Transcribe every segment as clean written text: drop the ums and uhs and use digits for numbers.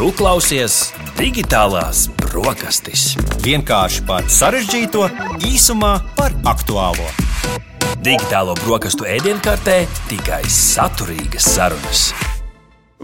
Tu klausies Digitālās brokastis. Vienkārši par sarežģīto, īsumā par aktuālo. Digitālo brokastu ēdienkartē tikai saturīgas sarunas.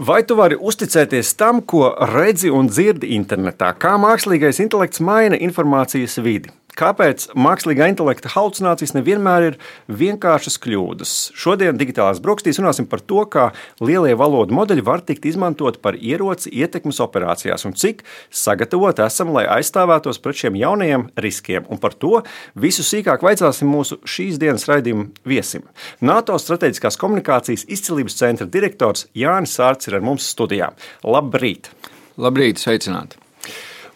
Vai tu vari uzticēties tam, ko redzi un dzirdi internetā? Kā mākslīgais intelekts maina informācijas vidi? Kāpēc mākslīgā intelekta halucinācijas nevienmēr ir vienkāršas kļūdas? Šodien Digitālās brokastīs runāsim par to, kā lielie valodu modeļi var tikt izmantot par ieroci ietekmes operācijās un cik sagatavoti esam, lai aizstāvētos pret šiem jaunajiem riskiem. Un par to visu sīkāk vaicāsim mūsu šīs dienas raidījuma viesim. NATO strateģiskās komunikācijas izcilības centra direktors Jānis Sārts ir ar mums studijā. Labrīt! Labrīt, sveicināti!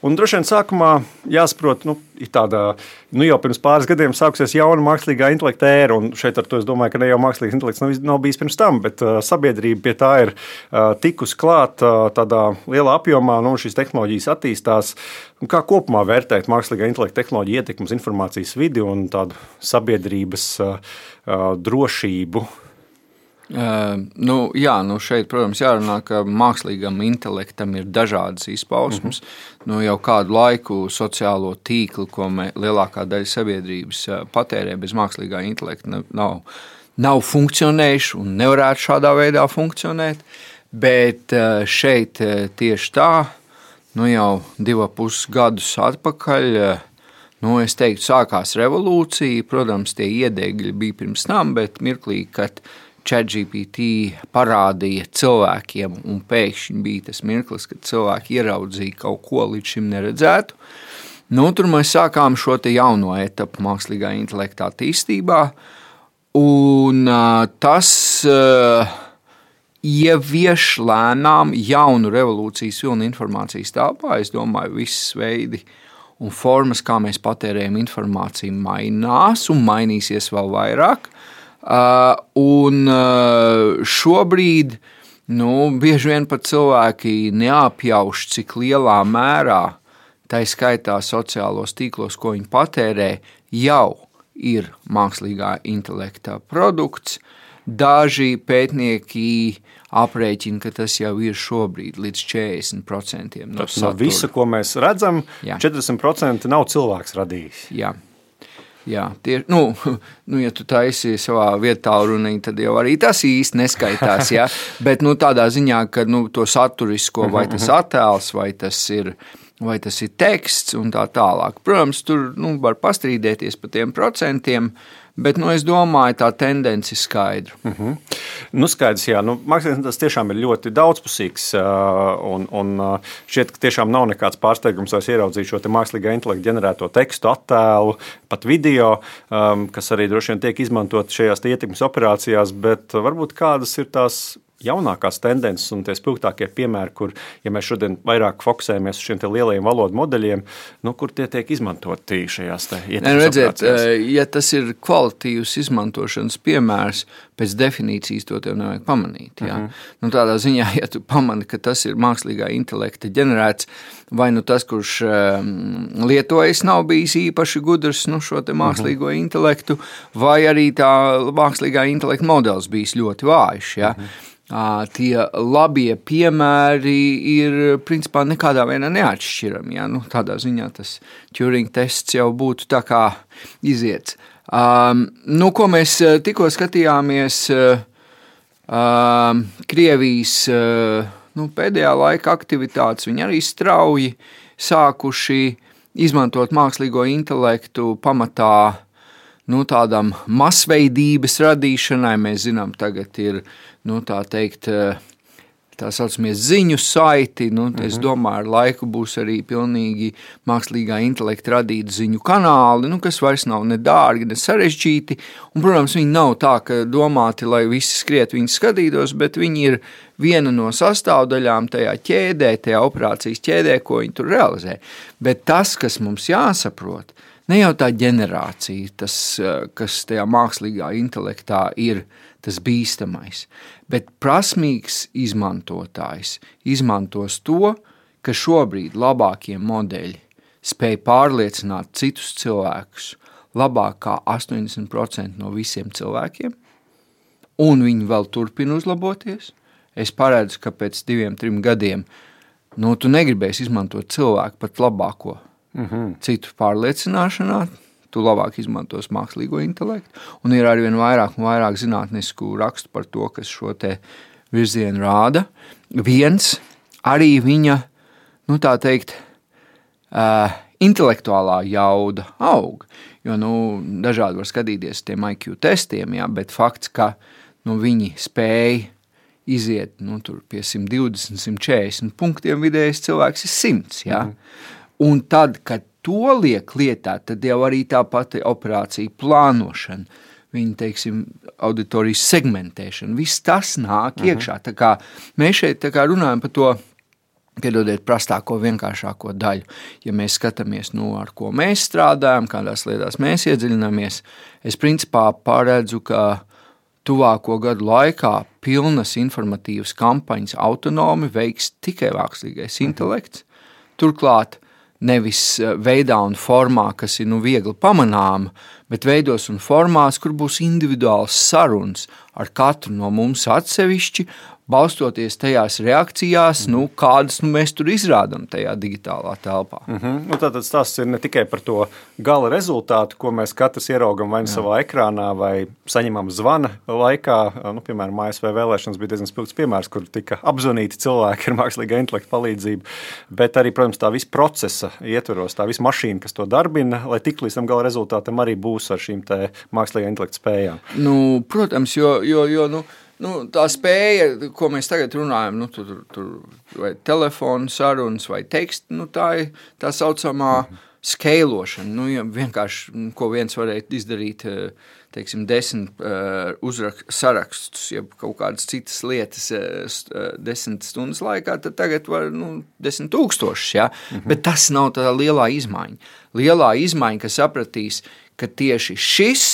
Un droši vien sākumā jāsaprot, ir tāda, jau pirms pāris gadiem sākusies jauna mākslīgā intelekta ēra, un šeit ar to es domāju, ka ne jau mākslīgais intelekts nav bijis pirms tam, bet sabiedrība pie tā ir tikusi klāt tādā lielā apjomā, un šīs tehnoloģijas attīstās. Un kā kopumā vērtēt mākslīgā intelekta tehnoloģiju ietekmes informācijas vidi un tādu sabiedrības drošību? Šeit, protams, jārunā, ka mākslīgam intelektam ir dažādas izpausmes. Jau kādu laiku sociālo tīklu, ko lielākā daļa sabiedrības patērē bez mākslīgā intelekta, nav funkcionējuši un nevarētu šādā veidā funkcionēt. Bet šeit tieši tā, jau 2,5 gadus atpakaļ, es teiktu, sākās revolūcija. Protams, tie iedegļi bija pirms tam, bet mirklī, kad ChatGPT parādīja cilvēkiem, un pēkšņi bija tas mirklis, kad cilvēki ieraudzīja kaut ko līdz šim neredzētu. Tur mēs sākām šo te jauno etapu mākslīgā intelekta attīstībā, un tas ievieš lēnām jaunu revolūcijas vilni informācijas telpā. Es domāju, visas veidi un formas, kā mēs patērējam informāciju, mainās un mainīsies vēl vairāk. Un šobrīd bieži vien pat cilvēki neapjauš, cik lielā mērā, tā skaitā sociālos tīklos, ko viņi patērē, jau ir mākslīgā intelekta produkts. Daži pētnieki aprēķina, ka tas jau ir šobrīd līdz 40% no satura. No visa, ko mēs redzam, 40% nav cilvēks radījis. Jā, ja tu taisi savā vietā runī, tad jau arī tas īsti neskaitās, ja? Bet tādā ziņā, ka to saturisko, vai tas attēls, vai tas ir teksts un tā tālāk. Protams, tur var pastrīdēties par tiem procentiem, bet es domāju, tā tendence ir skaidra. Skaidrs, jā. Mākslinieks tas tiešām ir ļoti daudzpusīgs, un šķiet, ka tiešām nav nekāds pārsteigums, vai ieraudzīt šo te mākslīgā intelekta ģenerēto tekstu, attēlu, pat video, kas arī droši vien tiek izmantot šajās ietekmes operācijās, bet varbūt kādas ir tās jaunākās tendences un tie spilgtākie piemēri, kur, ja mēs šodien vairāk fokusējamies uz šiem te lielajiem valodu modeļiem, kur tie tiek izmantoti šajās te ietekmes operācijās? Ja tas ir kvalitatīvs izmantošanas piemērs, pēc definīcijas to tev nevajag pamanīt. Jā. Tādā ziņā, ja tu pamani, ka tas ir mākslīgā intelekta ģenerēts, vai tas, kurš lietojas, nav bijis īpaši gudrs šo te mākslīgo intelektu, vai arī tā mākslīgā intelekta modelis bijis ļoti vājš. Jā. Tie labie piemēri ir principā nekādā veidā neatšķirami. Ja? Tādā ziņā tas Turing tests jau būtu tā kā iziets. Ko mēs tikko skatījāmies Krievijas pēdējā laika aktivitātes, viņi arī strauji sākuši izmantot mākslīgo intelektu pamatā tādam masveidības radīšanai. Mēs zinām, tagad ir tā saucamie ziņu saiti. Es domāju, ar laiku būs arī pilnīgi mākslīgā intelekta radīti ziņu kanāli, kas vairs nav ne dārgi, ne sarežģīti. Un, protams, viņi nav tā, ka domāti, lai visi skriet viņus skatītos, bet viņi ir viena no sastāvdaļām tajā ķēdē, tajā operācijas ķēdē, ko viņi tur realizē. Bet tas, kas mums jāsaprot, ne jau tā ģenerācija, tas, kas tajā mākslīgā intelektā ir tas bīstamais, bet prasmīgs izmantotājs izmantos to, ka šobrīd labākie modeļi spēj pārliecināt citus cilvēkus labāk kā 80% no visiem cilvēkiem, un viņi vēl turpina uzlaboties. Es paredzu, ka pēc 2-3 gadiem nu, tu negribēsi izmantot cilvēku pat labāko citu pārliecināšanā, tu labāk izmantos mākslīgo intelektu, un ir arvien vairāk un vairāk zinātnisku rakstu par to, kas šo te virzienu rāda. Viens, arī viņa, nu tā teikt, intelektuālā jauda aug, jo, nu, dažādi var skatīties tiem IQ testiem, jā, bet fakts, ka, nu, viņi spēja iziet, nu, tur pie 120, 140 punktiem vidējais cilvēks ir 100, jā. Un tad, kad to liek lietā, tad jau arī tā pati operācija plānošana, viņa, teiksim, auditorijas segmentēšana, viss tas nāk iekšā. Tā kā mēs šeit tā kā runājam par to, piedodiet, prastāko, vienkāršāko daļu. Ja mēs skatāmies, nu, ar ko mēs strādājam, kādās lietās mēs iedziļināmies, es principā paredzu, ka tuvāko gadu laikā pilnas informatīvas kampaņas autonomi veiks tikai mākslīgais intelekts. Turklāt nevis veidā un formā, kas ir, nu, viegli pamanāma, bet veidos un formās, kur būs individuāls sarunas ar katru no mums atsevišķi, balstoties tajās reakcijās, nu, kādas mēs tur izrādam tajā digitālā telpā. Nu, tātad stāsts ir ne tikai par to gala rezultātu, ko mēs katrs ieraugam vai savā ekrānā, vai saņemam zvana laikā. Nu, piemēram, ASV vēlēšanas bija diezgan spilgts piemērs, kur tika apzvanīti cilvēki ar mākslīgā intelekta palīdzību, bet arī, protams, tā visa procesa ietveros, tā visa mašīna, kas to darbina, lai tiktu līdz tam gala rezultātam, arī būs ar šīm te mākslīgā intelekta spējām. Nu, protams, jo nu, tā spēja, ko mēs tagad runājam, nu, tur vai telefonu sarunas vai teksti, nu, tā ir tā saucamā skeilošana. Nu, ja vienkārši, ko viens varēja izdarīt, teiksim, 10 sarakstus, ja kaut kādas citas lietas 10 stundas laikā, tad tagad var, nu, 10 000, ja? Bet tas nav tā lielā izmaiņa. Lielā izmaiņa, kas sapratīs, ka tieši šis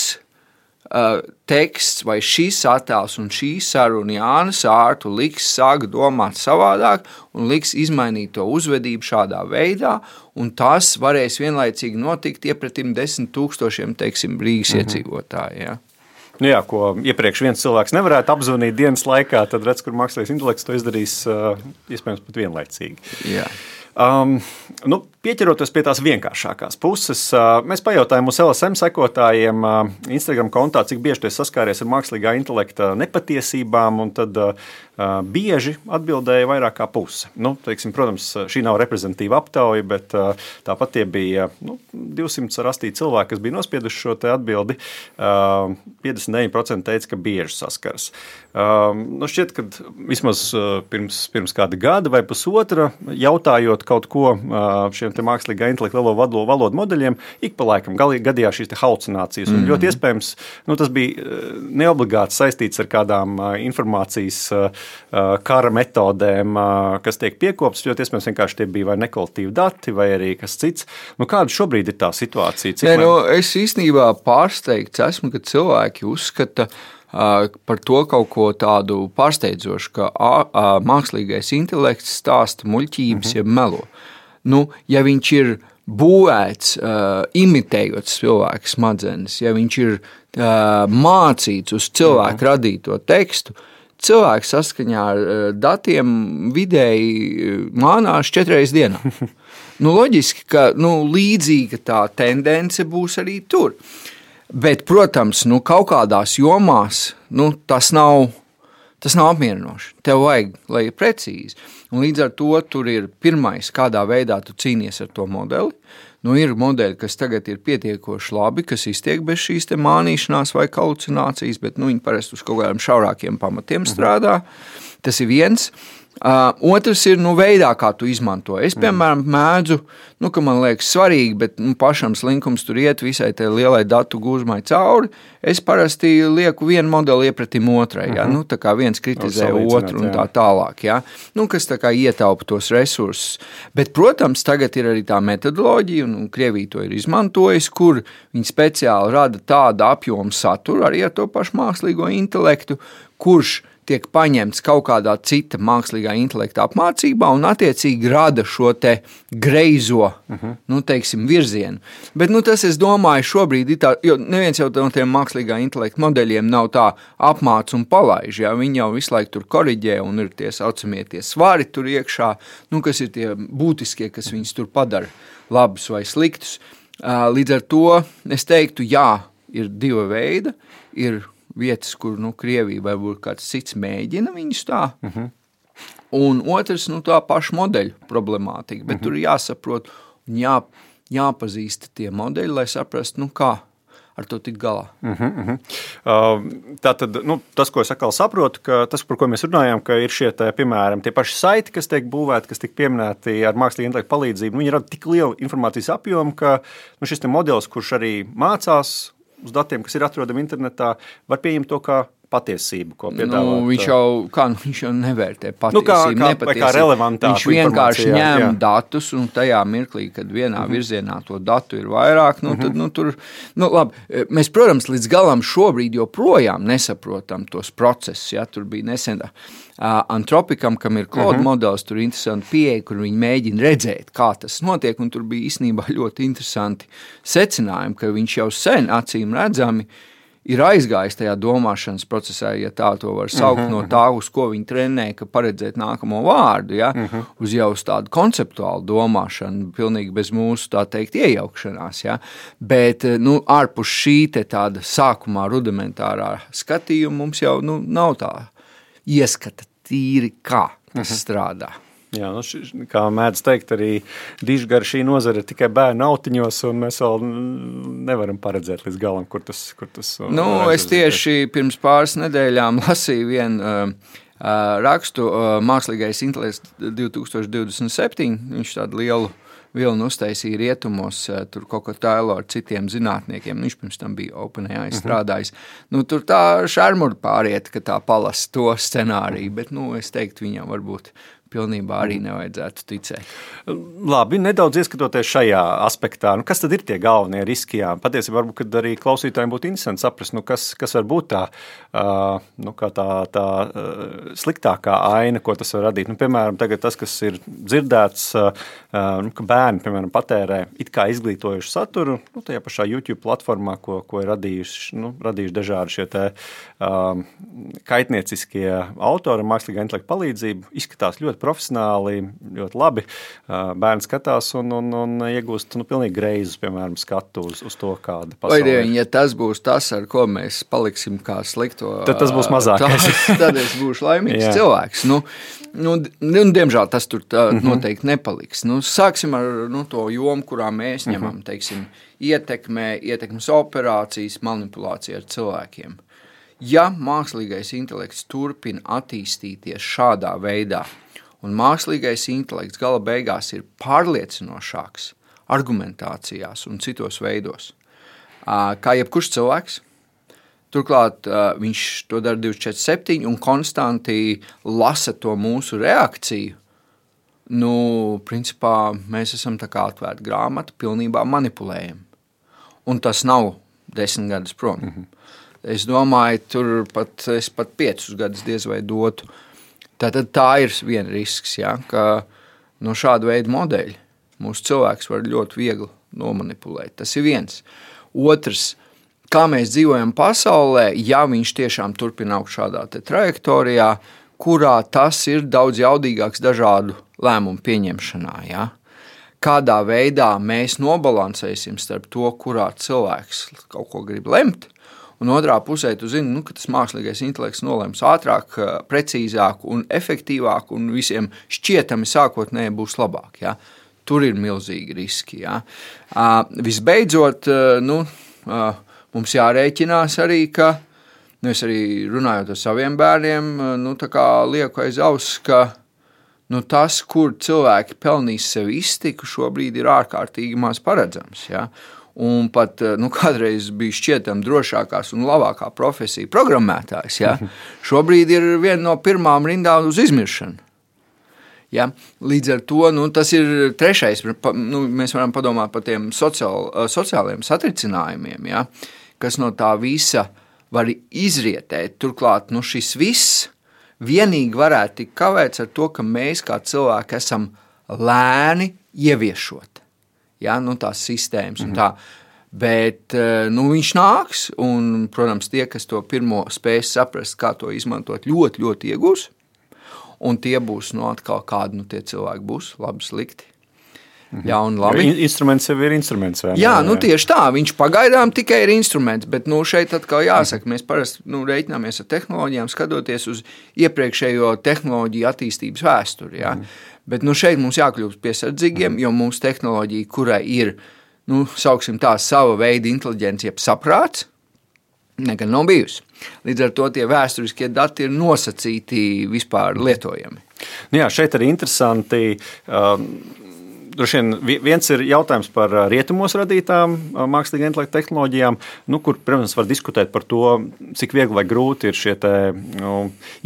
teksts vai šīs attēls un šī saruna Jānis Ārtu liks sāk domāt savādāk un liks izmainīt to uzvedību šādā veidā, un tas varēs vienlaicīgi notikt iepratim 10 000, teiksim, Rīgas iedzīvotāji. Ja? Nu jā, ko iepriekš viens cilvēks nevarētu apzvanīt dienas laikā, tad redz, kur mākslīgais intelekts to izdarīs iespējams pat vienlaicīgi. Jā. Nu, pieķeroties pie tās vienkāršākās puses, mēs pajautājām mūsu LSM sekotājiem Instagram kontā, cik bieži tie saskāries ar mākslīgā intelekta nepatiesībām, un tad bieži atbildēja vairāk kā puse. Nu, teiksim, protams, šī nav reprezentatīva aptauja, bet tāpat tie bija 200 rastī cilvēki, kas bija nospieduši šo te atbildi. 59% teica, ka bieži saskaras. Nu, šķiet, ka vismaz pirms kāda gada vai pusotra, jautājot kaut ko šiem te mākslīgā intelekta valodu modeļiem, ik pa laikam gadījās šīs te halucinācijas. Un ļoti iespējams, nu, tas bija neobligāti saistīts ar kādām informācijas kara metodēm, kas tiek piekoptas, ļoti iespējams vienkārši tie bija vai nekvalitīvi dati, vai arī kas cits. Nu, kāda šobrīd ir tā situācija? Es īstenībā pārsteigts esmu, ka cilvēki uzskata par to kaut ko tādu pārsteidzošu, ka mākslīgais intelekts stāsta muļķības, ja melo. Nu, ja viņš ir būvēts, imitējot cilvēku smadzenes, ja viņš ir mācīts uz cilvēku radīto tekstu, cilvēks saskaņā ar datiem vidēji mānās 4 reizes dienā. Nu, loģiski, ka līdzīga tā tendence būs arī tur. Bet, protams, kaut kādās jomās tas nav apmierinoši. Tev vajag, lai ir precīzi. Un līdz ar to tur ir pirmais, kādā veidā tu cīnies ar to modeli. Ir modeļi, kas tagad ir pietiekoši labi, kas iztiek bez šīs te mānīšanās vai halucinācijas, bet viņi parasti uz kaut kādiem šaurākiem pamatiem strādā. Tas ir viens. Otrs ir veidā, kā tu izmanto. Es, piemēram, mēdzu, ka man liekas svarīgi, bet pašam slinkums tur iet visai tai lielai datu gūzmai cauri. Es parasti lieku vienu modeli iepratim otrai, ja? Tā kā viens kritizē otru un tā tālāk, ja? Kas tā kā ietaupa tos resursus. Bet, protams, tagad ir arī tā metodoloģija, un Krievija to ir izmantojis, kur viņi speciāli rada tādu apjomu saturu arī ar to pašu mākslīgo intelektu, kurš tiek paņemts kaut kādā cita mākslīgā intelekta apmācībā un attiecīgi rada šo te greizo, teiksim, virzienu. Bet, tas, es domāju, šobrīd ir tā, jo neviens jau no tiem mākslīgā intelekta modeļiem nav tā apmāc un palaiž, ja? Viņi jau visu laiku tur koriģē un ir tie saucamie tie svari tur iekšā, kas ir tie būtiskie, kas viņus tur padara labus vai sliktus. Līdz ar to es teiktu, jā, ir divi veidi, ir vietas, kur, Krievija vai kāds cits mēģina viņus tā, un otrs, tā paša modeļu problemātika, bet tur jāsaprot un jāpazīst tie modeļi, lai saprastu, kā ar to tikt galā. Tātad, tas, ko es atkal saprotu, ka tas, par ko mēs runājām, ka ir šie, piemēram, tie paši saiti, kas tiek būvēti, kas tiek pieminēti ar mākslīgu intelektu palīdzību, viņi rada tik lielu informācijas apjomu, ka šis modelis, kurš arī mācās uz datiem, kas ir atrodami internetā, var pieņemt to kā patiesību, ko piedāvāt. Viņš jau nevērtē patiesību, nepatiesību. Kā relevantāku viņš vienkārši ņem datus un tajā mirklī, kad vienā virzienā to datu ir vairāk, tad, labi, mēs, protams, līdz galam šobrīd joprojām nesaprotam tos procesus, ja, tur bija nesen Antropikam, kam ir Claude modelis, tur interesanti pieeja, kur viņi mēģina redzēt, kā tas notiek, un tur bija īstenībā ļoti interesanti secinājumi, ka viņš jau sen acīm redzami ir aizgājis tajā domāšanas procesā, ja tā to var saukt, no tā, uz ko viņi trenē, ka paredzēt nākamo vārdu, ja, uz jau uz tādu konceptuālu domāšanu, pilnīgi bez mūsu, tā teikt, iejaukšanās, ja, bet, ārpus šī te tāda sākumā rudimentārā skatījuma mums jau, nav tā ieskata tīri, kā tas strādā. Jā, kā mēdz teikt, arī dižgara šī nozara ir tikai bērnu autiņos, un mēs vēl nevaram paredzēt līdz galam, kur tas es tieši pirms pāris nedēļām lasīju vienu rakstu Mākslīgais intelekts 2027, viņš tādu lielu vilnu uztaisīja rietumos, tur kaut ko tēlo ar citiem zinātniekiem, viņš pirms tam bija OpenAI strādājis. Tur tā šarmura pāriet, ka tā palasa to scenāriju, bet, es teiktu, viņam varbūt pilnībā arī nevajadzētu ticēt. Labi, nedaudz ieskatoties šajā aspektā, kas tad ir tie galvenie riski? Jā? Patiesībā varbūt, kad arī klausītājiem būtu interesanti saprast, kas var būt tā sliktākā aina, ko tas var radīt. Piemēram, tagad tas, kas ir dzirdēts, ka bērni, piemēram, patērē it kā izglītojušu saturu, tajā pašā YouTube platformā, ko ir radījuši dažādi šie te kaitnieciskie autori, mākslīgā intelekta palīdzību, izskatās ļoti profesionāli, ļoti labi. Bērni skatās un iegūst pilnīgi greizus, piemēram, skatu uz to, kāda pasaule ir. Ja tas būs tas, ar ko mēs paliksim kā slikto, tad tas būs mazākais. Tad es būšu laimīgs cilvēks. Diemžēl tas tur noteikti nepaliks. Sāksim ar to jomu, kurā mēs ņemam, teiksim, ietekmes operācijas, manipulāciju ar cilvēkiem. Ja mākslīgais intelekts turpina attīstīties šādā veidā, un mākslīgais intelekts gala beigās ir pārliecinošāks argumentācijās un citos veidos, kā jebkurš cilvēks. Turklāt viņš to dara 24/7 un konstanti lasa to mūsu reakciju. Principā mēs esam tā kā atvērta grāmata, pilnībā manipulējam. Un tas nav 10 gadus prom. Es domāju, es pat 5 gadus diez vai dotu. Tātad tā ir viena risks, ja, ka no šāda veida modeļi mūsu cilvēks var ļoti viegli nomanipulēt. Tas ir viens. Otrs, kā mēs dzīvojam pasaulē, ja viņš tiešām turpina augt šādā te trajektorijā, kurā tas ir daudz jaudīgāks dažādu lēmumu pieņemšanā. Ja? Kādā veidā mēs nobalansēsim starp to, kurā cilvēks kaut ko grib lemt, un otrā pusē tu zini, ka tas mākslīgais intelekts nolems ātrāk, precīzāk un efektīvāk un visiem šķietami sākotnēji būs labāk. Ja? Tur ir milzīgi riski. Ja? Visbeidzot, mums jārēķinās arī, ka es arī runājot ar saviem bērniem, tā kā lieku aiz auss, ka tas, kur cilvēki pelnīs sev iztiku, šobrīd ir ārkārtīgi maz paredzams. Ja? Un pat kādreiz bija šķietam drošākās un labākā profesija programmētājs. Ja? Šobrīd ir viena no pirmām rindām uz izmiršanu. Ja? Līdz ar to tas ir trešais, mēs varam padomāt par tiem sociālajiem satricinājumiem, ja? Kas no tā visa var izrietēt. Turklāt šis viss vienīgi varētu tikt kavēts ar to, ka mēs kā cilvēki esam lēni ieviešot tās sistēmas un tā. Bet viņš nāks, un, protams, tie, kas to pirmo spēs saprast, kā to izmantot, ļoti, ļoti iegūs. Un tie būs atkal kādi tie cilvēki būs, labi, slikti. Ļauni, labi. Instruments jau ir instruments. Jā, tieši tā. Viņš pagaidām tikai ir instruments, bet šeit atkal jāsaka, mēs parasti reiķināmies ar tehnoloģijām, skatoties uz iepriekšējo tehnoloģiju attīstības vēsturi. Ja? Bet šeit mums jākļūst piesardzīgiem, jo mūsu tehnoloģija, kurai ir, sauksim tā, sava veida inteliģence, jeb saprāts, nekad nav bijusi. Līdz ar to tie vēsturiskie dati ir nosacīti vispār lietojami. Jā, šeit arī interesanti. Droši vien viens ir jautājums par rietumos radītām mākslīgā intelekta tehnoloģijām, kur, protams, var diskutēt par to, cik viegli vai grūti ir šie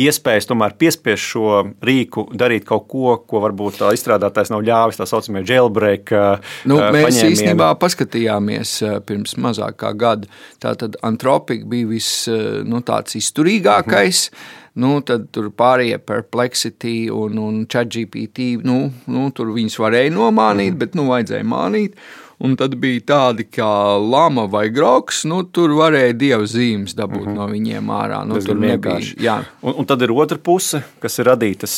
iespējas tomēr piespiest šo rīku darīt kaut ko, ko varbūt izstrādātājs nav ļāvis, tā saucamie jailbreak mēs paņēmieni. Īstenībā paskatījāmies pirms mazāk kā gada. Tātad Anthropic bija tāds izturīgākais. Tad tur pārējie Perplexity un ChatGPT, tur viņus varēja nomānīt, bet vajadzēja mānīt. Un tad bija tādi kā lama vai groks, tur varēja dievu zīmes dabūt no viņiem ārā. Tur nebija. Un tad ir otra puse, kas ir radītas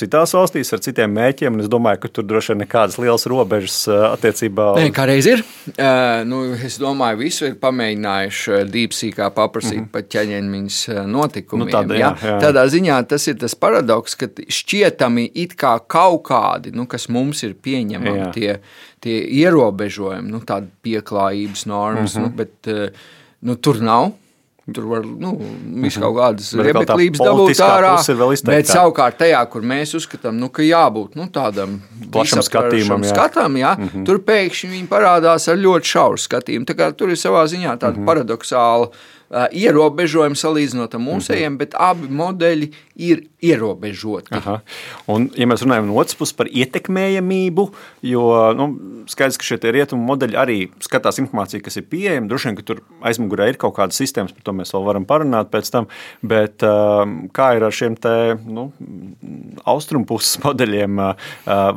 citās valstīs ar citiem mēķiem, un es domāju, ka tur droši vien nekādas lielas robežas attiecībā. Nē, kā reiz ir. Es domāju, visu ir pamēģinājuši DeepSeekā paprasīt par ķeņeņmiņas notikumiem. Jā. Tādā ziņā tas ir tas paradoks, ka šķietami it kā kaut kādi, kas mums ir pieņemami tie ierobežojumi, tāda pieklājības normas, bet tur nav. Tur var visu kaut kādas rebeklības dabūt ārā, bet savukārt tajā, kur mēs uzskatām, ka jābūt tādam plašam skatam, tur pēkšņi viņi parādās ar ļoti šauru skatījumu. Tā kā tur ir savā ziņā tāda paradoxāla ierobežojumi salīdzinot ar mūsējiem, bet abi modeļi ir ierobežoti. Un, ja mēs runājam no otras puses par ietekmējamību, jo skaidrs, ka šie rietumu modeļi arī skatās informāciju, kas ir pieejama, droši vien, ka tur aizmugurē ir kaut kādas sistēmas, par to mēs vēl varam parunāt pēc tam, bet kā ir ar šiem austrumpuses modeļiem,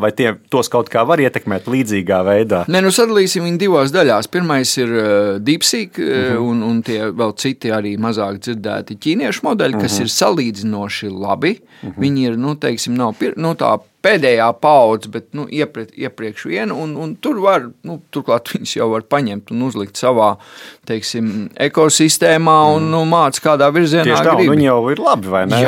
vai tos kaut kā var ietekmēt līdzīgā veidā? Nē, sadalīsim viņu divās daļās. Pirmais ir DeepSeek un tie vēl citi arī mazāk dzirdēti ķīniešu modeļi, kas ir salīdzinoši labi. Viņi ir, teiksim, nav tā pēdējā paudze, bet iepriekš vienu, un tur var, turklāt viņas jau var paņemt un uzlikt savā, teiksim, ekosistēmā un māca kādā virzienā gribi. Tieši tā, viņi jau ir labi, vai ne?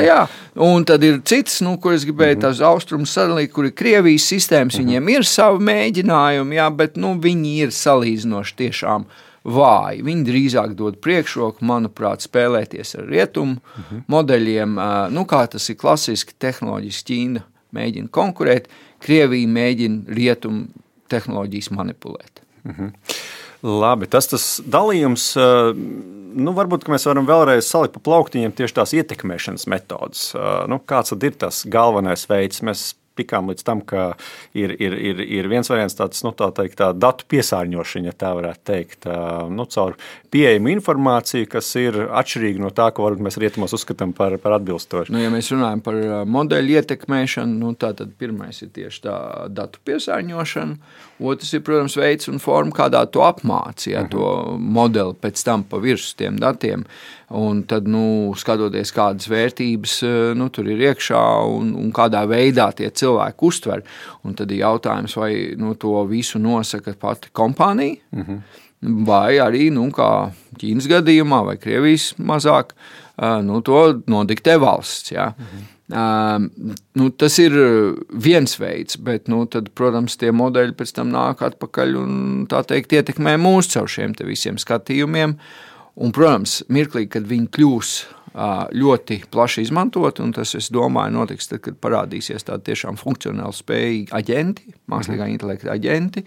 Jā. Un tad ir cits, kur es gribēju tās austrumus sadalīt, kur ir Krievijas sistēmas, viņiem ir savi mēģinājumi, bet viņi ir salīdzinoši tiešām vāji. Viņi drīzāk dod priekšroku, manuprāt, spēlēties ar rietumu modeļiem, kā tas ir klasiski tehnoloģiski. Ķīna mēģina konkurēt, Krievija mēģina rietumu tehnoloģijas manipulēt. Labi, tas dalījums, varbūt, ka mēs varam vēlreiz salikt pa plauktiņiem tieši tās ietekmēšanas metodas. Kāds tad ir tas galvenais veids? Mēs tikām līdz tam, ka ir viens variants tāds, tā datu piesārņošana, ja tā varētu teikt, caur pieejamu informāciju, kas ir atšķirīga no tā, ko varbūt mēs rietumos uzskatām par atbilstošu. Ja mēs runājam par modeļu ietekmēšanu, tad pirmais ir tieši tā datu piesārņošana, otrs ir, protams, veids un forma, kādā to apmāci, to modeli pēc tam pa virsmu tiem datiem, un tad, skatoties kādas vērtības, tur ir iekšā un kādā veidā tie cilvēki uztver. Un tad ir jautājums, vai to visu nosaka pati kompānija, vai arī, kā Ķīnas gadījumā, vai Krievijas mazāk, to nodiktē valsts. Ja? Tas ir viens veids, bet tad, protams, tie modeļi pēc tam nāk atpakaļ un, tā teikt, ietekmē mūs caur šiem te visiem skatījumiem. Un, protams, mirklī, kad viņi kļūs ļoti plaši izmantot, un tas, es domāju, notiks tad, kad parādīsies tādi tiešām funkcionāli spējīgi aģenti, mākslīgā intelekta aģenti,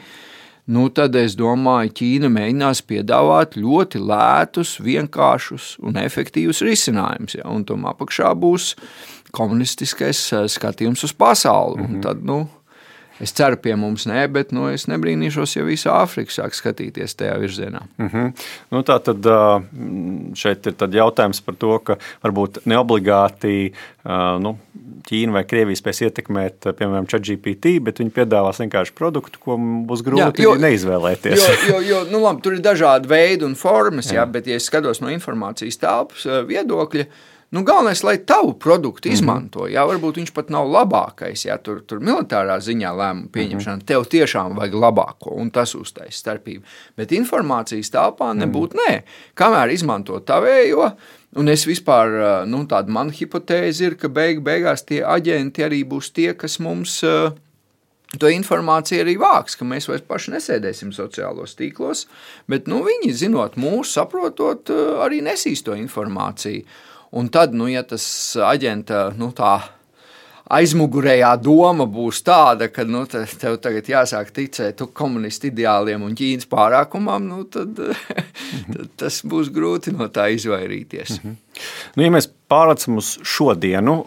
tad, es domāju, Ķīna mēģinās piedāvāt ļoti lētus, vienkāršus un efektīvus risinājumus, un tom apakšā būs komunistiskais skatījums uz pasauli, un tad, Es ceru, pie mums nē, bet es nebrīnīšos, ja visa Āfrika sāk skatīties tajā virzienā. Nu, tā tad šeit ir tad jautājums par to, ka varbūt neobligāti Ķīna vai Krievija spēs ietekmēt, piemēram, ChatGPT, bet viņi piedāvās vienkārši produktu, ko būs grūti neizvēlēties. Jo labi, tur ir dažādi veidi un formas, bet, ja es skatos no informācijas telpas viedokļa, galvenais, lai tavu produktu izmanto. Varbūt viņš pat nav labākais, tur militārā ziņā lēmumu pieņemšana, tev tiešām vajag labāko, un tas uztais starpību. Bet informācijas telpā nebūtu nē. Kamēr izmanto tavējo, un es vispār, tāda mana hipotēze ir, ka beigās tie aģenti arī būs tie, kas mums to informāciju arī vāks, ka mēs vairs paši nesēdēsim sociālos tīklos, bet viņi, zinot mūs, saprotot, arī nesīs to informāciju. Un tad, ja tas aģenta, tā aizmugurējā doma būs tāda, ka tev tagad jāsāk ticēt komunistu ideāliem un Ķīnas pārākumam, tad tas būs grūti no tā izvairīties. Ja mēs pārlecam uz šodienu,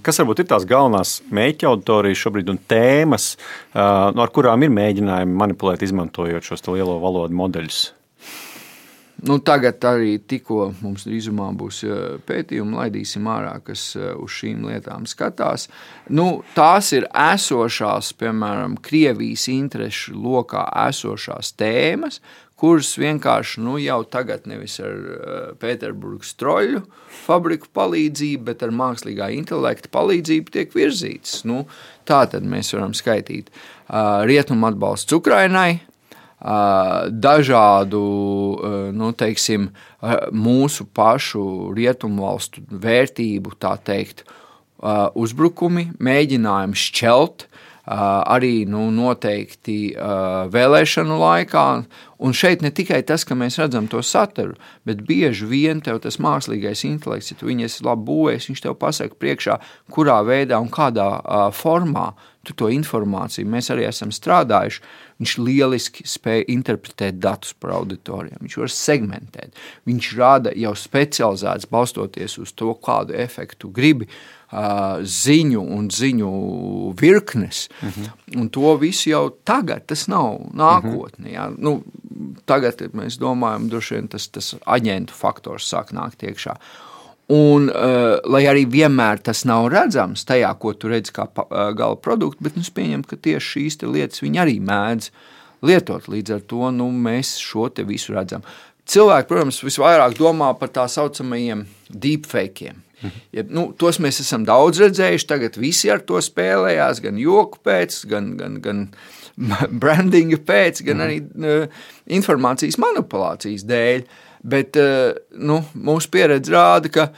kas varbūt ir tās galvenās mērķa auditorijas šobrīd un tēmas, ar kurām ir mēģinājumi manipulēt, izmantojot šos lielo valodu modeļus? Tagad arī tikko mums drīzumā būs pētījumi, laidīsim ārā, kas uz šīm lietām skatās. Tās ir esošās, piemēram, Krievijas interešu lokā esošās tēmas, kuras vienkārši jau tagad nevis ar Pēterburgas troļu fabriku palīdzību, bet ar mākslīgā intelekta palīdzību tiek virzītas. Tā tad mēs varam skaitīt rietumu atbalsts Ukrainai, dažādu, mūsu pašu rietumvalstu vērtību, tā teikt, uzbrukumi, mēģinājumi šķelt, arī noteikti vēlēšanu laikā. Un šeit ne tikai tas, ka mēs redzam to saturu, bet bieži vien tev tas mākslīgais intelekts, ja tu viņu esi labi būvējis, viņš tev pasaka priekšā, kurā veidā un kādā formā tu to informāciju. Mēs arī esam strādājuši. Viņš lieliski spēja interpretēt datus par auditorijām. Viņš var segmentēt. Viņš rada jau specializēts, balstoties uz to, kādu efektu gribi, ziņu un ziņu virknes. Un to visu jau tagad, tas nav nākotnē. Tagad mēs domājam, droši vien tas aģentu faktors sāk nākt iekšā. Un, lai arī vienmēr tas nav redzams tajā, ko tu redzi kā gala produktu, bet es pieņemu, ka tieši šīs lietas viņi arī mēdz lietot. Līdz ar to mēs šo te visu redzam. Cilvēki, protams, visvairāk domā par tā saucamajiem deepfakeiem. Tos mēs esam daudz redzējuši, tagad visi ar to spēlējās, gan joku pēc, gan brandinga pēc, gan arī informācijas manipulācijas dēļ. Bet mūsu pieredze rāda, ka,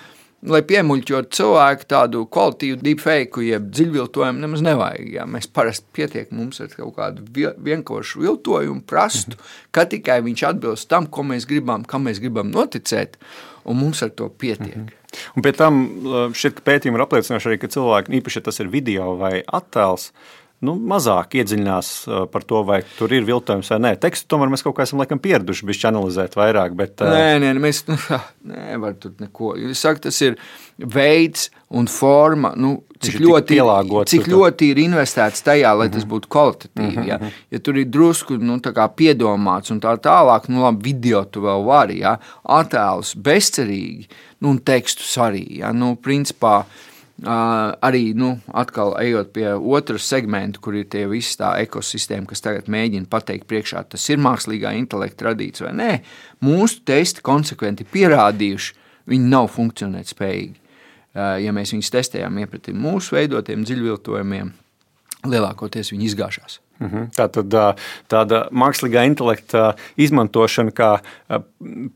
lai piemuļķot cilvēku tādu kvalitīvu deepfake, jeb dziļviltojumu nemaz nevajag. Mēs parasti pietiek mums ar kaut kādu vienkāršu viltojumu prastu, ka tikai viņš atbilst tam, ko mēs gribam, kam mēs gribam noticēt, un mums ar to pietiek. Un pie tam šķiet, ka pētījumi ir apliecinājuši arī, ka cilvēki, īpaši, ja tas ir video vai attēls, mazāk iedziļinās par to, vai tur ir viltojums vai nē. Tekstu tomēr mēs kaut kā esam laikam pieraduši bišķi analizēt vairāk, bet... Nē, mēs nevar tur neko. Es saku, tas ir veids un forma, cik ļoti ir investēts tajā, lai tas būtu kvalitatīvi. Ja tur ir drusku tā kā piedomāts un tā tālāk, labi, video tu vēl vari, attēlus bezcerīgi, un tekstus arī. Principā, arī, atkal ejot pie otras segmenta, kur ir tie visi tā ekosistēma, kas tagad mēģina pateikt priekšā, tas ir mākslīgā intelekta radīts vai nē, mūsu testi konsekventi pierādījuši, viņi nav funkcionēt spējīgi. Ja mēs viņus testējām iepratim mūsu veidotiem dziļviltojumiem, lielākoties viņi izgāšās. Tātad tāda mākslīgā intelekta izmantošana kā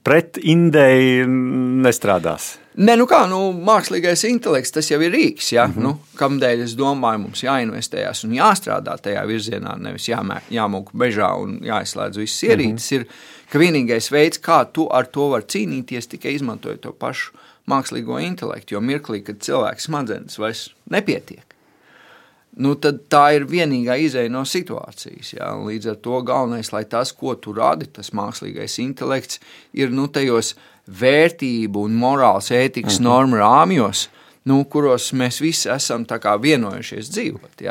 pret indei nestrādās. Mākslīgais intelekts, tas jau ir rīks, kamdēļ es domāju, mums jāinvestējās un jāstrādā tajā virzienā, nevis jāmūk bežā un jāizslēdz visas ierīces, ir, ka vienīgais veids, kā tu ar to var cīnīties, tikai izmantojot to pašu mākslīgo intelektu, jo mirklī, kad cilvēks smadzenes vairs nepietiek, tad tā ir vienīgā izeja no situācijas. Līdz ar to galvenais, lai tas, ko tu radi, tas mākslīgais intelekts, ir tajos vērtību un morāls ētikas normu rāmjos, kuros mēs visi esam tā kā vienojušies dzīvot.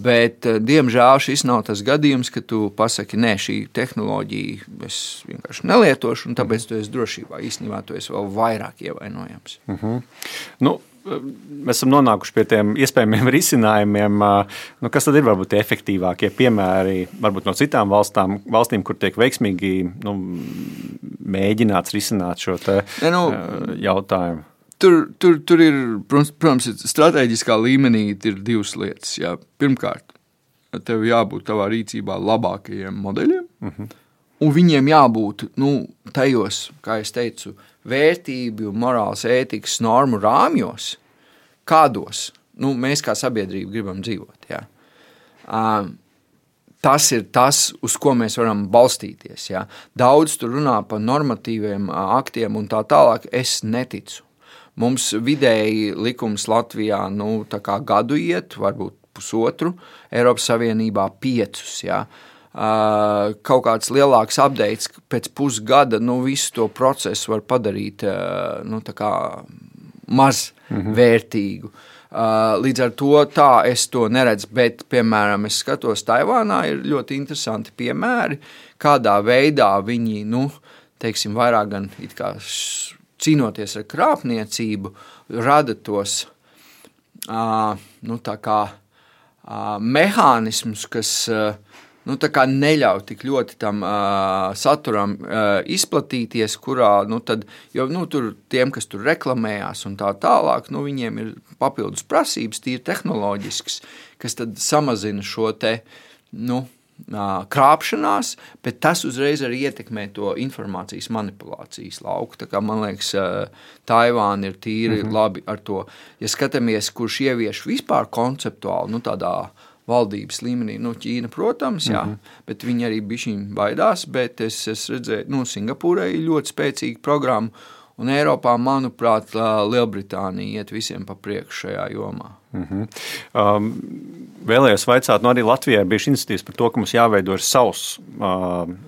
Bet, diemžēl, šis nav tas gadījums, ka tu pasaki, nē, šī tehnoloģija es vienkārši nelietošu, un tāpēc tu esi drošībā. Īstenībā tu esi vēl vairāk ievainojams. Nu, mēs esam nonākuši pie tiem iespējamiem risinājumiem. Nu, kas tad ir varbūt tie efektīvākie piemēri, varbūt no citām valstīm, kur tiek veiksmīgi mēģināts risināt šo jautājumu? Tur ir, protams, strateģiskā līmenī ir divas lietas. Jā. Pirmkārt, tev jābūt tavā rīcībā labākajiem modeļiem, un viņiem jābūt tajos, kā es teicu, vērtību, morāls, ētikas normu rāmjos, kādos mēs kā sabiedrība gribam dzīvot. Jā. Tas ir tas, uz ko mēs varam balstīties. Jā. Daudz tur runā par normatīviem aktiem un tā tālāk. Es neticu. Mums vidēji likums Latvijā tā kā gadu iet, varbūt pusotru, Eiropas Savienībā 5. Jā. Kaut kāds lielāks updates pēc pusgada, visu to procesu var padarīt tā kā maz vērtīgu. Līdz ar to tā es to neredzu, bet, piemēram, es skatos, Taivānā ir ļoti interesanti piemēri, kādā veidā viņi, teiksim, vairāk gan it kā cīnoties ar krāpniecību, rada tos tā kā mehānismus, kas tā kā neļauj tik ļoti tam saturam izplatīties, kurā, tur tiem, kas tur reklamējās un tā tālāk, viņiem ir papildus prasības, tīri tehnoloģisks, kas tad samazina šo te, krāpšanās, bet tas uzreiz arī ietekmē to informācijas manipulācijas lauku. Tā kā, man liekas, Taivāna ir tīri labi ar to. Ja skatāmies, kurš ievieš vispār konceptuāli, tādā valdības līmenī, Ķīna, protams, jā, bet viņi arī bišķiņ baidās, bet es redzēju, Singapūrai ļoti spēcīga programma, un Eiropā, manuprāt, Lielbritānija iet visiem pa priekšu šajā jomā. Vēlējos vaicāt, arī Latvijā bija iniciatīvas par to, ka mums jāveido savs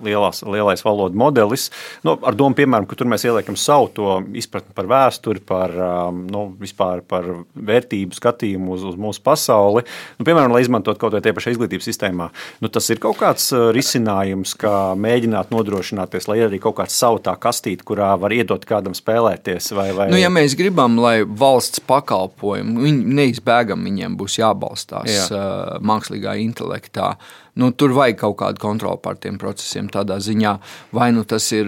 lielais valodu modelis. Ar domu, piemēram, ka tur mēs ieliekam savu to izpratni par vēsturi, vispār par vērtību skatījumu uz mūsu pasauli. Piemēram, lai izmantot kaut vai tie pašai izglītības sistēmā. Tas ir kaut kāds risinājums, kā mēģināt nodrošināties, lai ir arī kaut kāds savu tā kastīti, kurā var iedot kādam spēlēties. Ja mēs gribam, lai valsts pakalpojumi, neizbēgam viņiem būs jābalstās mākslīgā intelektā. Tur vajag kaut kādu kontroli pār tiem procesiem tādā ziņā, vai tas ir,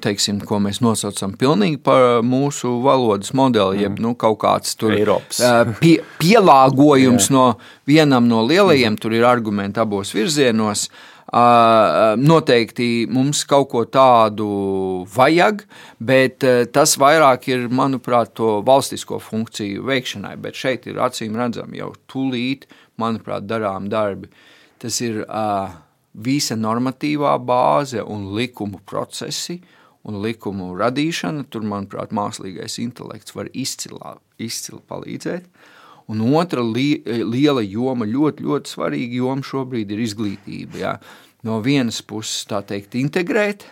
teiksim, ko mēs nosaucam pilnīgi par mūsu valodas modeli, jeb kaut kāds tur pielāgojums no vienam no lielajiem, tur ir argumenti abos virzienos. Noteikti mums kaut ko tādu vajag, bet tas vairāk ir, manuprāt, to valstisko funkciju veikšanai, bet šeit ir acīm redzami jau tūlīt, manuprāt, darām darbi. Tas ir visa normatīvā bāze un likumu procesi un likumu radīšana. Tur, manuprāt, mākslīgais intelekts var izcili palīdzēt. Un otra liela joma, ļoti, ļoti svarīga joma šobrīd ir izglītība. Jā. No vienas puses, tā teikt, integrēt,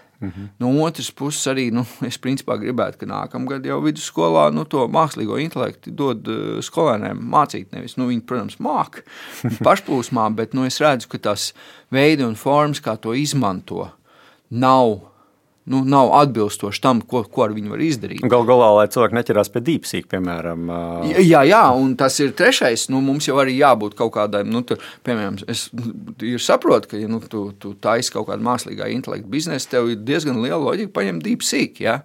no otras puses arī, es principā gribētu, ka nākamgad jau vidusskolā, to mākslīgo intelektu dod skolēniem mācīt, nevis, viņi, protams, māk pašplūsmā, bet, es redzu, ka tās veidi un formas, kā to izmanto, nav atbilstoši tam, ko ar viņu var izdarīt. Galā, lai cilvēki neķerās pie DeepSeek, piemēram. Jā, un tas ir trešais. Mums jau arī jābūt kaut kādai, piemēram, es saprotu, ka, ja tu taisi kaut kādu mākslīgā intelekta biznesu, tev ir diezgan liela loģika paņemt DeepSeek, jā.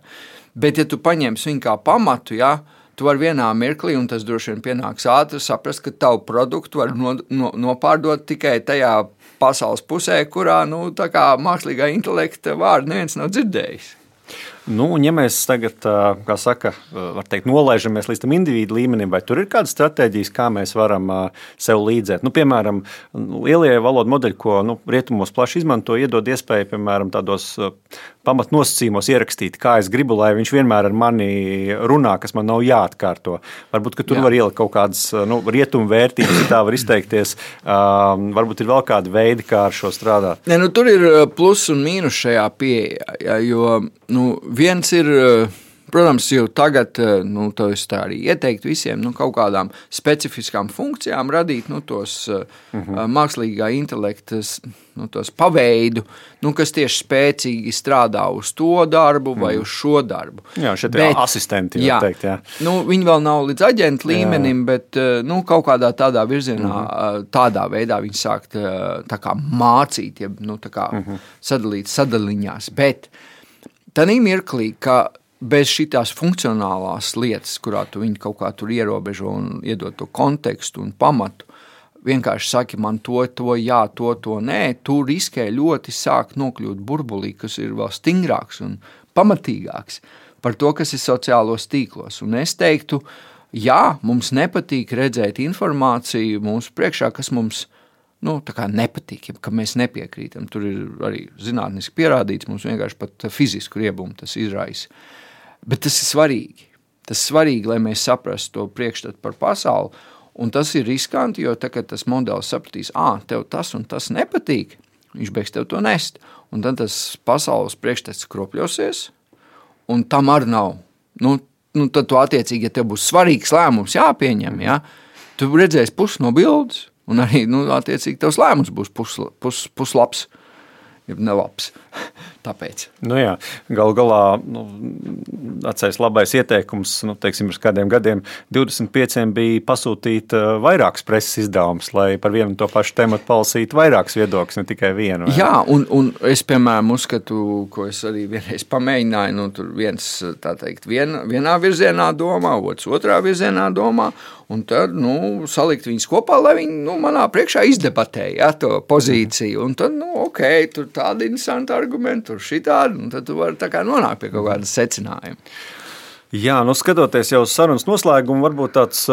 Bet, ja tu paņemsi viņu kā pamatu, jā, tu vari vienā mirklī, un tas droši vien pienāks ātri, saprast, ka tavu produktu var nopārdot tikai tajā pasaules pusē, kurā, tā kā mākslīgā intelekta vārdu neviens nav dzirdējis. Un ja mēs tagad, kā saka, var teikt, nolaižamies līdz tam individu līmenim, vai tur ir kādas stratēģijas, kā mēs varam sev līdzēt? Piemēram, lielie valodu modeļi, ko rietumos plaši izmanto, iedod iespēju, piemēram, tādos pamatnosacījumos ierakstīt, kā es gribu, lai viņš vienmēr ar mani runā, kas man nav jāatkārto. Varbūt, ka tur var ielikt kaut kādas rietumu vērtības, ja tā var izteikties. Varbūt ir vēl kādi veidi, kā ar šo strādāt. Tur ir plus un mīnus šajā pieejā, jo viens ir, protams, jau tagad to es tā arī ieteiktu visiem kaut kādām specifiskām funkcijām radīt tos mākslīgā intelekta tos paveidu, kas tieši spēcīgi strādā uz to darbu vai uz šo darbu. Jā, šeit ir asistenti, var teikt. Jā. Viņi vēl nav līdz aģenta līmenim, bet kaut kādā tādā virzienā, tādā veidā viņi sāk tā kā mācīt, tā kā sadalīt sadaliņās. Bet tādā mirklī, ka bez šitās funkcionālās lietas, kurā tu viņu kaut kā tur ierobežo un iedod to kontekstu un pamatu, vienkārši saki man to jā, to nē, tu riskē ļoti sāk nokļūt burbulī, kas ir vēl stingrāks un pamatīgāks par to, kas ir sociālos tīklos. Un es teiktu, jā, mums nepatīk redzēt informāciju mūsu priekšā, kas mums tā kā nepatīk, ka mēs nepiekrītam. Tur ir arī zinātniski pierādīts, mums vienkārši pat fizisku riebumu tas izraisa. Bet tas ir svarīgi. Tas ir svarīgi, lai mēs saprastu to priekšstatu par pasauli. Un tas ir riskanti, jo tā, kad tas modelis sapratīs, tev tas un tas nepatīk, viņš beigs tev to nest. Un tad tas pasaules priekšstats kropļosies, un tam arī nav. Tad tu attiecīgi, ja tev būs svarīgs lēmums jāpieņem, tu redzēsi pusi no bildes, un arī, attiecīgi, tavs lēmums būs puslabs, ja nelabs. Tāpēc. Jā, galu galā, atceries labais ieteikums, teiksim, pirms kādiem gadiem 25 bija pasūtīt vairākas preses izdevumus, lai par vienu to pašu tematu palasītu vairākas viedokļus, ne tikai vienu. Jā, un es, piemēram, uzskatu, ko es arī vienreiz pamēģināju, tur viens, tā teikt, vienā virzienā domā, otrs otrā virzienā domā, un tad, salikt viņus kopā, lai viņi, manā priekšā izdebatēja, to pozīciju, un tad, ok, tur tādi interesanti argumenti, tur šitādi, un tad tu vari tā kā nonākt pie kaut kādas secinājuma. Jā, skatoties jau uz sarunas noslēgumu, varbūt tāds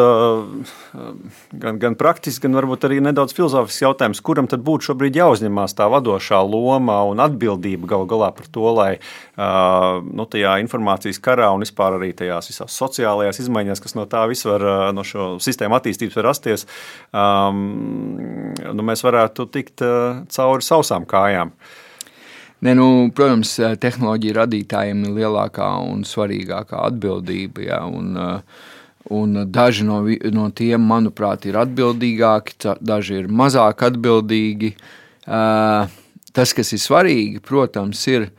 gan praktisks, gan varbūt arī nedaudz filozofisks jautājums, kuram tad būtu šobrīd jāuzņemās tā vadošā loma un atbildība galu galā par to, lai tajā informācijas karā un vispār arī tajās visās sociālajās izmaiņās, kas no tā viss var, no šo sistēmu attīstības var rasties, mēs varētu tikt cauri sausām kājām. Protams, tehnoloģija radītājiem ir lielākā un svarīgākā atbildība, un daži no tiem, manuprāt, ir atbildīgāki, daži ir mazāk atbildīgi. Tas, kas ir svarīgi, protams, ir,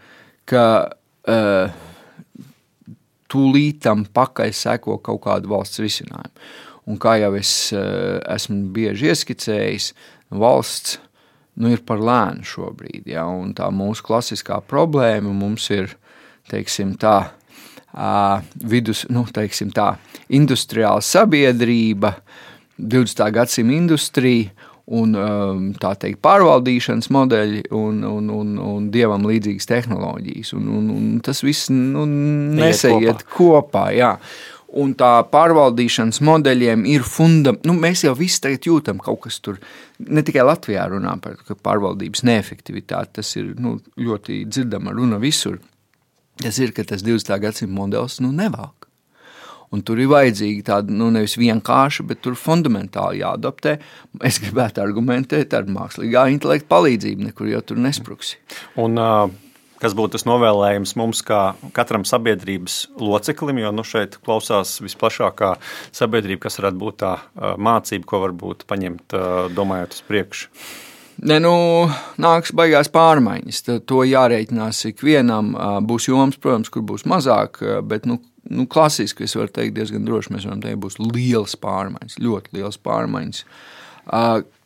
ka tūlītam pakaļ seko kaut kādu valsts risinājumu. Un kā jau es esmu bieži ieskicējis, valsts ir par lēnu šobrīd, un tā mūsu klasiskā problēma mums ir, teiksim tā, industriāla sabiedrība, 20. gadsimta industrija un tā teikt pārvaldīšanas modeļi un dievam līdzīgas tehnoloģijas. Un tas viss nesaiet kopā, Un tā pārvaldīšanas modeļiem ir mēs jau visi tagad jūtam kaut kas tur, ne tikai Latvijā runā par pārvaldības neefektivitāti, tas ir ļoti dzirdama runa visur. Tas ir, ka tas 20. gadsimta modelis nevelk. Un tur ir vajadzīgi tāda, nevis vienkārši, bet tur fundamentāli jāadaptē. Es gribētu argumentēt ar mākslīgā intelekta palīdzību, nekur jau tur nespruksi. Un kas būtu tas novēlējums mums kā katram sabiedrības loceklim, jo šeit klausās visplašākā sabiedrība, kas varētu būt tā mācība, ko varbūt paņemt, domājot uz priekšu. Nāks baigās pārmaiņas. To jārēķinās ikvienam. Būs joms, protams, kur būs mazāk, bet klasiski es varu teikt diezgan droši, mēs varam teikt, būs lielas pārmaiņas, ļoti lielas pārmaiņas.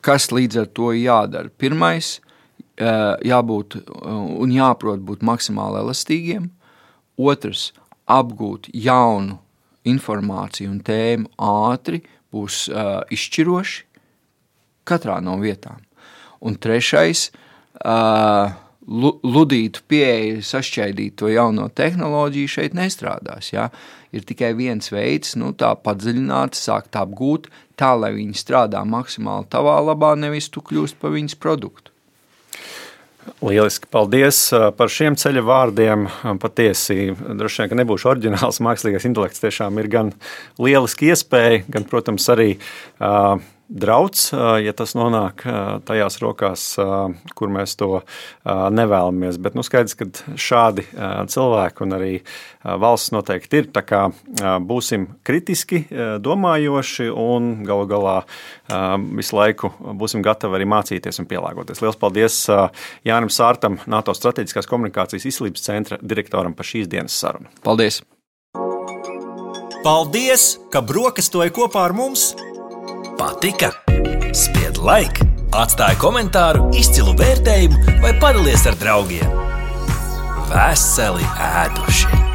Kas līdz ar to jādara? Pirmais, jābūt un jāprot būt maksimāli elastīgiem. Otrs, apgūt jaunu informāciju un tēmu ātri būs izšķiroši katrā no vietām. Un trešais, ludītu pieeju, sašķaidīt to jauno tehnoloģiju šeit nestrādās. Ir tikai viens veids, tā padziļināt, sākt apgūt, tā, lai viņi strādā maksimāli tavā labā, nevis tu kļūst par viņas produktu. Lieliski, paldies par šiem ceļa vārdiem. Patiesi, droši vien, ka nebūšu oriģināls mākslīgais intelekts, tiešām ir gan lieliski iespēja, gan, protams, arī drauds, ja tas nonāk tajās rokās, kur mēs to nevēlamies. Bet skaidrs, ka šādi cilvēki un arī valsts noteikti ir. Tā kā būsim kritiski domājoši un galu galā visu laiku būsim gatavi arī mācīties un pielāgoties. Liels paldies Jānim Sārtam, NATO strateģiskās komunikācijas izcīlības centra direktoram par šīs dienas sarunu. Paldies! Paldies, ka brokastoji kopā ar mums! Patika? Spied like, atstāj komentāru, izcilu vērtējumu vai padalies ar draugiem. Veseli ēduši!